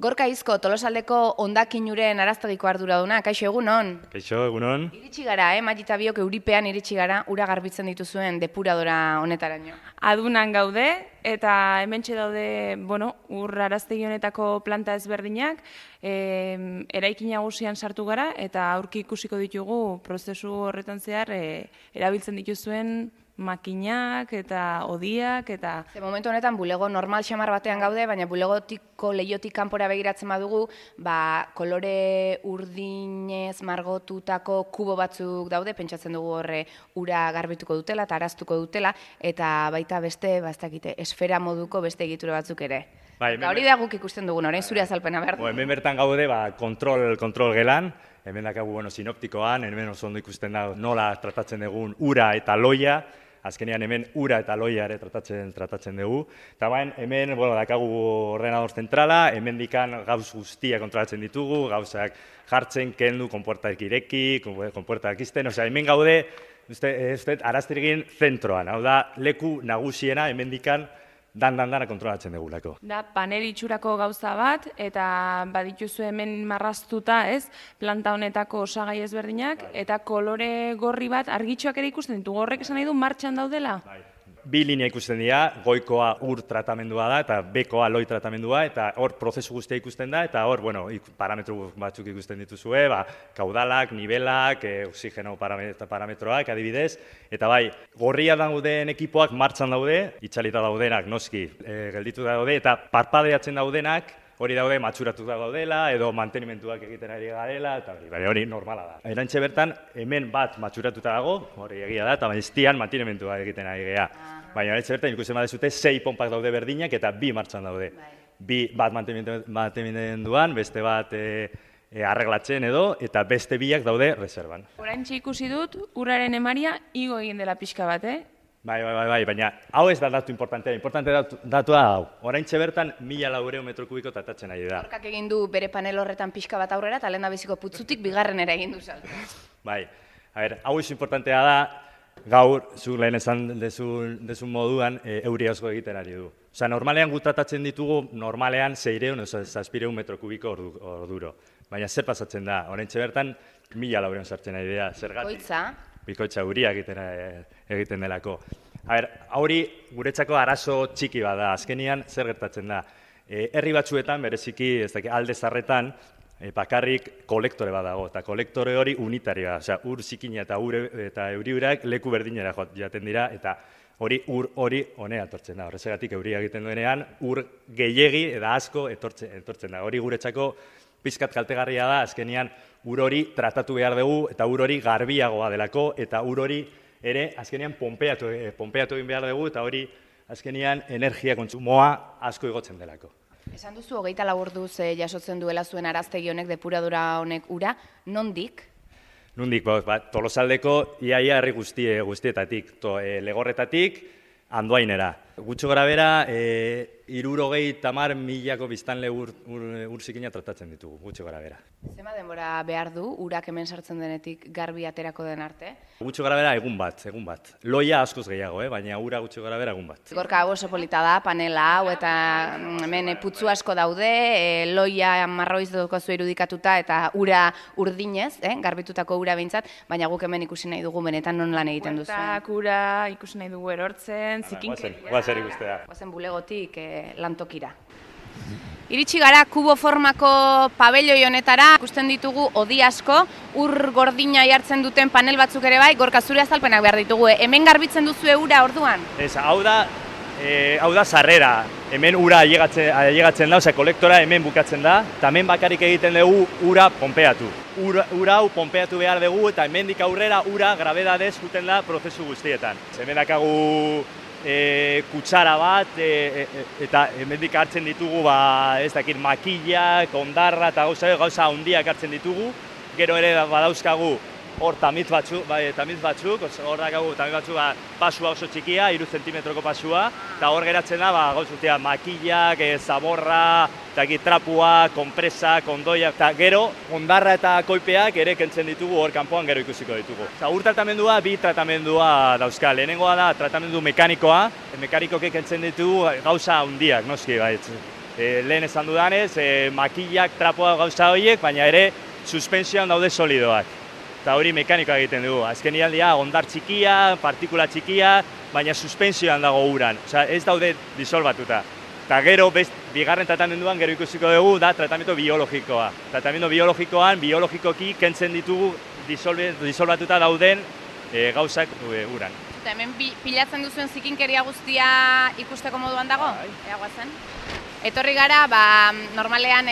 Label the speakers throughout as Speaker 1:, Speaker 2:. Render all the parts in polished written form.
Speaker 1: Gorka Izko, Tolosaldeko hondakinuren araztegiko arduraduna, kaixo egunon?
Speaker 2: Kaixo, egunon.
Speaker 1: Iritsi gara, Magita biok euripean iritsi gara, ura garbitzen dituzuen depuradora honetaraino.
Speaker 3: Adunan gaude, eta hementxe daude, ur araztegi honetako planta ezberdinak, eraikin nagusian sartu gara, eta aurki ikusiko ditugu prozesu horretan zehar erabiltzen dituzuen makinak eta odiak eta...
Speaker 1: Momentu honetan bulego normal xamar batean gaude, baina bulegotiko lehiotik kanpora begiratzen badugu, kolore urdinez margotutako kubo batzuk daude, pentsatzen dugu horre ura garbituko dutela eta araztuko dutela, eta baita beste, esfera moduko beste egitura batzuk ere. Eta hori da guk ikusten dugun, orain zure azalpena behar du.
Speaker 2: Hemen bertan gaude kontrol gelan, hemen dakagu sinoptikoan, hemen oso ondo ikusten da nola tratatzen dugun ura eta loia, azkenean hemen ura eta loia ere tratatzen dugu. Eta hemen dakagu ordenador zentrala, hemen dikan gauz guztia kontrolatzen ditugu, gauzak jartzen, kendu, konpuertak ireki, konpuertak izten, hemen gaude, arazterigin zentroan, hau da, leku nagusiena hemen dikan dana kontrolatzen dugulako.
Speaker 3: Da, panel itxurako gauza bat, eta badituzu hemen marraztuta, planta honetako osagai ezberdinak, eta kolore gorri bat argitxoak ere ikusten ditugu. Horrek esan nahi du martxan daudela?
Speaker 2: Bi linea ikusten dira, goikoa ur tratamendua da, eta bekoa loi tratamendua, eta hor prozesu guztia ikusten da, eta hor, parametro batzuk ikusten dituzue, kaudalak, nivelak, oxigeno parametroak, adibidez, eta gorria dauden ekipoak martxan daude, itxalita daudenak, noski, gelditu daude, eta parpadeatzen daudenak, hori daude matxuratuta daudela, edo mantenimentuak egiten ari garela, eta hori normala da. Erantxe bertan, hemen bat matxuratuta dago, hori egia da, eta bestian mantenimentua egiten ari gea. Baina erantxe bertan, ikusten badezute, 6 pompak daude berdinak, eta 2 martxan daude. Bat mantenimenduan, beste bat arreglatzen edo, eta beste 2ak daude reservan.
Speaker 3: Oraintxe ikusi dut, uraren emaria igo egin dela pixka bat,
Speaker 2: Bai, baina hau ez da datu importantea, datua hau. Oraintxe bertan 1.400 metro kubiko tratatzen ari da.
Speaker 1: Gorkak egin du bere panel horretan pixka bat aurrera, eta lehen da biziko putzutik bigarrenera egin du salto.
Speaker 2: Bai, hau ez importantea da, gaur, zu lehen esan dezun moduan, euri asko egiten ari du. Normalean gu tratatzen ditugu, normalean 600, 700 metro kubiko orduro. Baina zer pasatzen da, oraintxe bertan 1.400 sartzen ari da, zergatik. Bikoitza euria egiten delako. Hori guretzako arazo txiki bada, azkenian zer gertatzen da. Herri batzuetan, bereziki alde zarretan, bakarrik kolektore bat dago, eta kolektore hori unitarioa, ur zikina eta euri urak leku berdinera jaten dira, eta hori ur hori honea etortzen da. Horrezegatik euria egiten duenean, ur gehiegi eta asko etortzen da. Hori guretzako pizkat kaltegarria da, azkenian ur hori tratatu behar dugu, eta ur hori garbiagoa delako, eta ur hori ere azkenian pompeatu egin behar dugu, eta hori azkenian energia kontsumoa asko igotzen delako.
Speaker 1: Esan duzu, 24 orduz jasotzen duela zuen araztegi honek, depuradora honek ura, nondik?
Speaker 2: Nondik, Tolosaldeko iaia herri guztietatik, Legorretatik, Andoainera. Gutxo gara bera, 70.000 biztanle ur zikina tratatzen ditugu, gutxo gara bera.
Speaker 1: Zema denbora behar du, urak hemen sartzen denetik garbi aterako den arte?
Speaker 2: Gutxo gara bera egun bat. Loia askoz gehiago, baina ura gutxo gara bera egun bat.
Speaker 1: Gorka, oso polita da, panela hau, eta hemen putzu asko daude, loia marroiz dukozu irudikatuta, eta ura urdinez, garbitutako ura behintzat, baina guk hemen ikusi nahi dugu benetan non lan egiten duzu.
Speaker 3: Bueltak, ura, ikusi nahi dugu erortzen, zikinkeria.
Speaker 2: Guazen ikustea.
Speaker 1: Guazen bulegotik lantokira. Iritsi gara kubo formako pabelloi honetara, ikusten ditugu odi asko, ur gordina jartzen duten panel batzuk ere bai, Gorka, zure azalpenak behar ditugu. Hemen garbitzen duzu ura orduan?
Speaker 2: Hau da sarrera, hemen ura ailegatzen da, kolektora hemen bukatzen da, eta hemen bakarrik egiten dugu ura pompeatu. Ura hau pompeatu behar dugu, eta hemendik aurrera ura grabedadez juten da prozesu guztietan. Hemen dakagu kutsara bat, eta hemendik hartzen ditugu, makillak, ondarra eta gauza handiak hartzen ditugu. Gero ere badauzkagu hor tamiz batzuk, hor dakagu tamiz batzuk pasua oso txikia, 3 zentimetroko pasua, eta hor geratzen da gauzutea makillak, zaborra, trapua, konpresa, kondoiak, eta gero ondarra eta koipeak ere kentzen ditugu hor kanpoan gero ikusiko ditugu. Ur tratamendua, 2 tratamendua dauzka. Lehenengoa da tratamendu mekanikoa, mekanikoke kentzen ditugu gauza handiak, noski, Lehen esan dudanez, makillak, trapoak gauza horiek, baina ere suspensioan daude solidoak. Eta hori mekanikoa egiten dugu. Azkenian dira, ondar txikia, partikula txikia, baina suspensioan dago uran. Osea, ez daude disolbatuta. Eta gero, bigarren tratamenduan, gero ikusiko dugu, da tratamendu biologikoa. Tratamendu biologikoan, biologikoki kentzen ditugu disolbatuta dauden gauzak uran.
Speaker 1: Eta hemen pilatzen duzuen zikinkeria guztia ikusteko moduan dago? Ea guazen. Etorri gara, normalean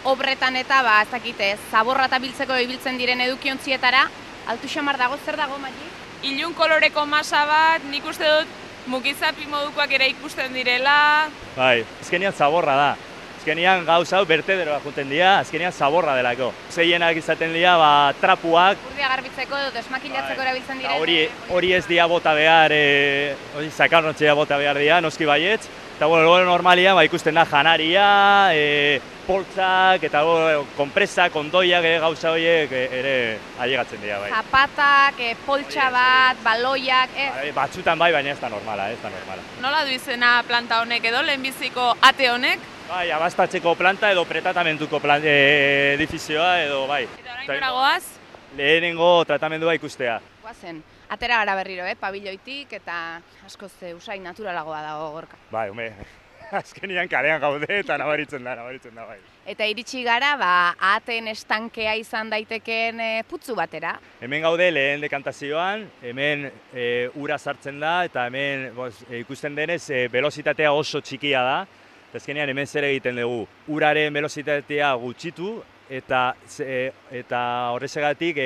Speaker 1: obretan eta, ez dakite, zaborra eta biltzeko ibiltzen diren edukiontzietara. Altu xamar dago, zer dago, Magi?
Speaker 3: Ilun koloreko masa bat, nik uste dut mukizapi modukoak ere ikusten direla.
Speaker 2: Bai, azkenian zaborra da. Azkenian gauza hau bertederoa juten dira, azkenian zaborra delako. Zeienak izaten dira, trapuak.
Speaker 1: Urdia garbitzeko edo desmakilatzeko erabiltzen diren.
Speaker 2: Hori ez dira bota behar, zakarnotxea bota behar dira, noski baietz. Eta normalia ikusten da janaria, poltsak, eta konpresak, ondoiak, gauza horiek ere ailegatzen dira.
Speaker 1: Zapatak, poltsa bat, baloiak,
Speaker 2: Batzutan bai, baina ez da normala,
Speaker 3: Nola du izena planta honek edo, lehenbiziko ate honek?
Speaker 2: Bai, abastatzeko planta edo pretatamenduko edifizioa edo bai.
Speaker 3: Eta orain gora goaz?
Speaker 2: Lehenengo tratamendua ikustea.
Speaker 1: Guazen, atera gara berriro, pabiloitik eta askoz usain naturalagoa dago gorka.
Speaker 2: Bai, azkenian kalean gaude eta nabaritzen da bai.
Speaker 1: Eta iritsi gara, ahateen estankea izan daitekeen putzu batera.
Speaker 2: Hemen gaude lehen dekantazioan, hemen ura sartzen da eta hemen ikusten denez velozitatea oso txikia da. Azkenean hemen zer egiten dugu, uraren velozitatea gutxitu eta horrezagatik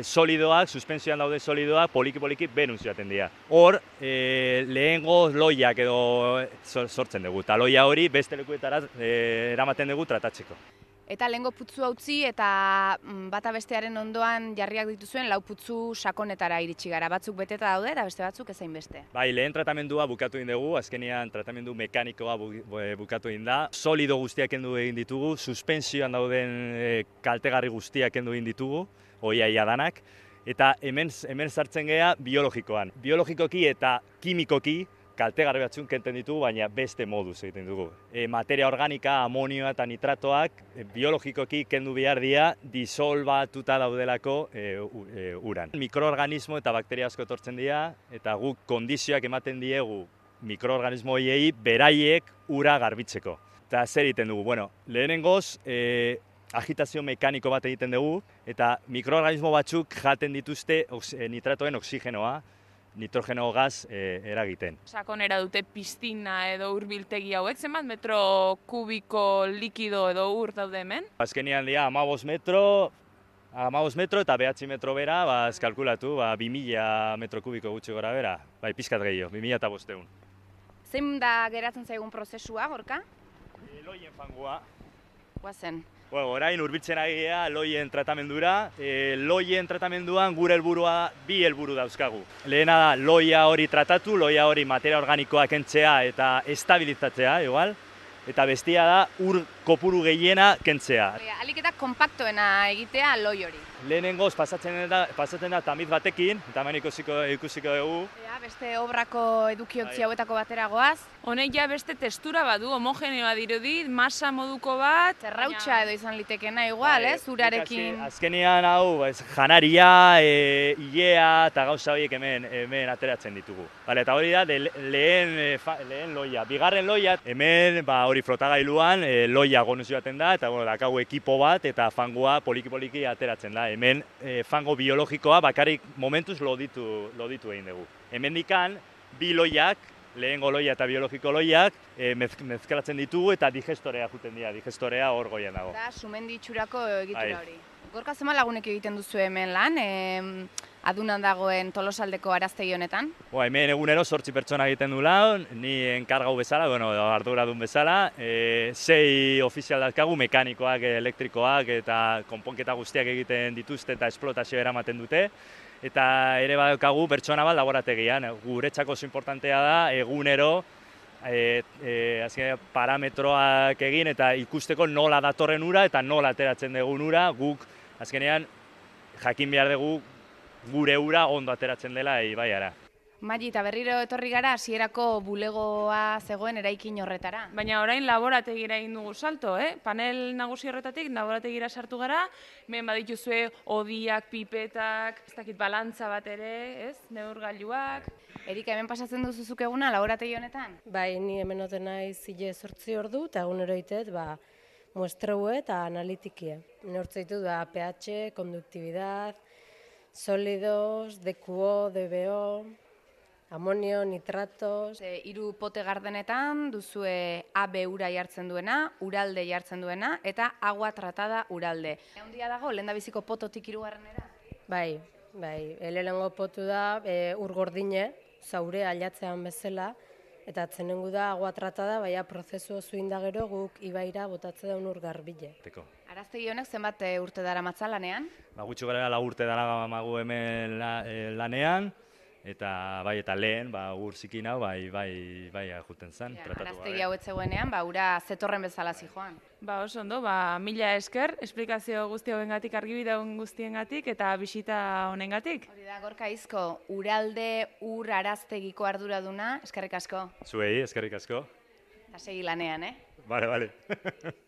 Speaker 2: solidoak, suspensioan daude solidoak, poliki benun zioaten dira. Hor, lehengo loiak edo sortzen dugu, eta loia hori beste lekuetara eramaten dugu tratatzeko.
Speaker 1: Eta lehengo putzu utzi eta bata bestearen ondoan jarriak dituzuen lau putzu sakonetara iritsi gara. Batzuk beteta daude eta beste batzuk ezain beste.
Speaker 2: Bai, lehen tratamendua bukatu egin dugu, azkenean tratamendu mekanikoa bukatu egin da. Solido guztiak kendu egin ditugu, suspensioan dauden kaltegarri guztiak kendu egin ditugu, iaia danak. Eta hemen sartzen gea biologikoan. Biologikoki eta kimikoki kaltegarri batzuk kenten ditugu, baina beste moduz egiten dugu. Materia organika, amonioa eta nitratoak biologikoki kendu behar dira disolbatuta daudelako uran. Mikroorganismo eta bakteria asko etortzen dira, eta guk kondizioak ematen diegu mikroorganismo horiei beraiek ura garbitzeko. Eta zer egiten dugu? Bueno, lehenengoz, agitazio mekaniko bat egiten dugu, eta mikroorganismo batzuk jaten dituzte nitratoen oksigenoa, nitrogeno gaz eragiten.
Speaker 3: Sakonera dute piztina edo urbiltegi hauek, zenbat metro kubiko likido edo ur daude hemen?
Speaker 2: Azkenean dira 15 metro eta 9 metro bera, kalkulatu, 2000 metro kubiko gutxi gora bera, pizkat gehiago, 2500.
Speaker 1: Zein da geratzen zaigun prozesua, Gorka?
Speaker 2: Loien fangua.
Speaker 1: Guazen.
Speaker 2: Orain urbiltzen agia loien tratamendura. Loien tratamenduan gure helburua bi helburu dauzkagu. Lehena da loia hori tratatu, loia hori materia organikoa kentzea eta estabilizatzea, igual. Eta bestia da ur kopuru gehiena kentzea.
Speaker 1: Alik eta kompaktoena egitea loi hori.
Speaker 2: Lehenengoz pasatzen da tamiz batekin, eta hemen ikusiko dugu.
Speaker 1: Beste obrako edukiontzi hauetako batera goaz.
Speaker 3: Honek ja beste testura badu, homogeneoa dirudi, masa moduko bat.
Speaker 1: Zerrautxa edo izan litekena igual, urarekin.
Speaker 2: Azkenean hau, janaria, ilea eta gauza horiek hemen ateratzen ditugu. Eta hori da lehen loia. Bigarren loia, hemen hori flotagailuan loia gonuzio baten da, eta dakagu ekipo bat eta fangua poliki ateratzen da. Hemen fango biologikoa bakarrik momentuz loditu egin dugu. Hemen dikan, bi loiak, lehengo loia eta biologiko loiak, mezkalatzen ditugu eta digestorea juten dira, digestorea hor goian dago.
Speaker 1: Da, sumendi itxurako egitura hori. Gorka zema lagunek egiten duzu hemen lan, adunan dagoen Tolosaldeko araztegi honetan?
Speaker 2: Hemen egunero 8 pertsona egiten du lan, ni enkargau bezala, arduradun bezala, 6 ofizial dazkagu, mekanikoak, elektrikoak eta konponketa guztiak egiten dituzte eta esplotazio eramaten dute. Eta ere badaukagu pertsona bat laborategian, guretzako oso importantea da, egunero, parametroak egin eta ikusteko nola datorren ura eta nola ateratzen dugun ura, guk azkenean jakin behar dugu gure ura ondo ateratzen dela ibaiara.
Speaker 1: Magi, eta berriro etorri gara, hasierako bulegoa zegoen eraikin horretara.
Speaker 3: Baina orain laborategira egin dugu salto, Panel nagusi horretatik laborategira sartu gara, hemen badituzue odiak, pipetak, ez dakit balantza bat ere, neurgailuak.
Speaker 1: Erika, hemen pasatzen duzuzuk eguna laborategi honetan?
Speaker 4: Bai, ni hemen oten naiz 8 ordu, eta egunero itet, muestreue eta analitikie. Neurtze ditut, pH, conductividad, sólidos, DQO, DBO, amonio, nitratos.
Speaker 1: 3 pote gardenetan duzue AB ura jartzen duena, uralde jartzen duena, eta agua tratada uralde. Handia dago, lehendabiziko pototik 3.
Speaker 4: Bai, lehenengo potu da ur gordine, zaure ailatzean bezala, eta atzenengu da agua tratada, baina prozesu oso indagero guk ibaira botatze daun ur garbile.
Speaker 1: Araztegi honek zenbat urte dara matza lanean?
Speaker 2: Gutxo gara 4 urte dara magu hemen lanean, eta lehen, ur zikin hau, bai juten zen.
Speaker 1: Araztegi hau etzeguenean, ura zetorren bezala zijoan.
Speaker 3: Oso ondo, mila esker, esplikazio guzti hauengatik, argibide guztiengatik eta bisita honengatik.
Speaker 1: Hori da, Gorka Izko, uralde ur araztegiko arduraduna, eskerrik asko.
Speaker 2: Zuei, eskerrik asko.
Speaker 1: Eta segi lanean,
Speaker 2: Bale.